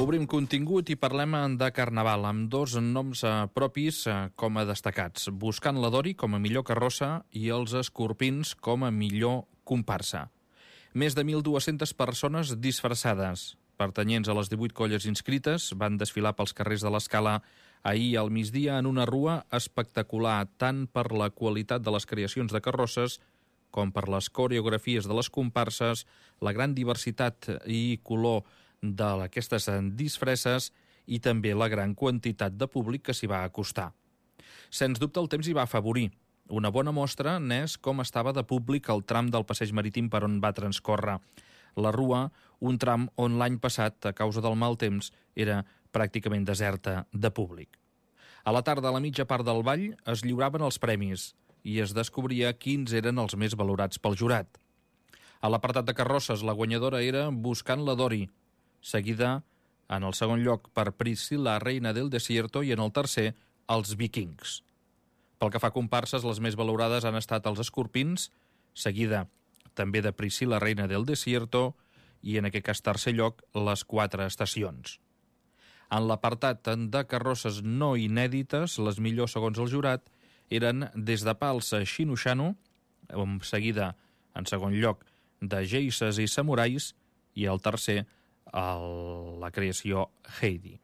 Obrim contingut i parlem de Carnaval, amb dos noms propis com a destacats. Buscant la Dori com a millor carrossa i els Escorpins com a millor comparsa. Més de 1.200 persones disfressades, pertanyents a les 18 colles inscrites, van desfilar pels carrers de l'Escala ahir al migdia en una rua espectacular, tant per la qualitat de les creacions de carrosses com per les coreografies de les comparses, la gran diversitat i color d'aquestes disfresses i també la gran quantitat de públic que s'hi va acostar. Sens dubte el temps hi va afavorir. Una bona mostra n'és com estava de públic el tram del passeig marítim per on va transcórrer la rua, un tram on l'any passat, a causa del mal temps, era pràcticament deserta de públic. A la tarda, a la mitja part del ball, es lliuraven els premis i es descobria quins eren els més valorats pel jurat. A l'apartat de carrosses, la guanyadora era Buscant la Dori, seguida en el segon lloc per Priscila, reina del desierto, i en el tercer, els Vikings. Pel que fa a comparses, les més valorades han estat els Escorpins, seguida també de Priscila, reina del desierto, i en aquest cas tercer lloc, les 4 estacions. En l'apartat de carrosses no inèdites, les millors segons el jurat eren des de Pals a Xinoxano, seguida en segon lloc de Geises i Samurais, i el tercer la creació Heidi.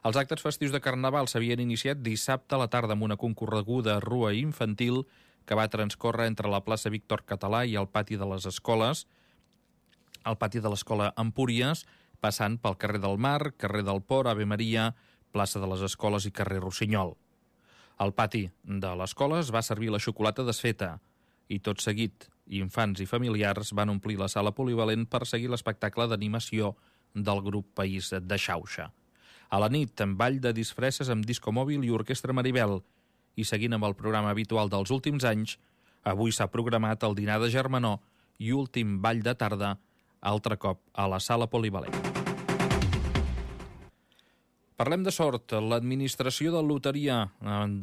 Els actes festius de Carnaval s'havien iniciat dissabte a la tarda amb una concorreguda rua infantil que va transcórrer entre la plaça Víctor Català i el pati de les escoles, el pati de l'escola Empúries, passant pel carrer del Mar, carrer del Port, Ave Maria, plaça de les Escoles i carrer Rossinyol. Al pati de l'escola es va servir la xocolata desfeta i tot seguit infants i familiars van omplir la sala polivalent per seguir l'espectacle d'animació del grup País de Xauxa. A la nit, en ball de disfresses amb disco mòbil i orquestra Maribel, i seguint amb el programa habitual dels últims anys, avui s'ha programat el dinar de germanor i últim ball de tarda, altre cop a la sala polivalent. Parlem de sort. L'administració de loteria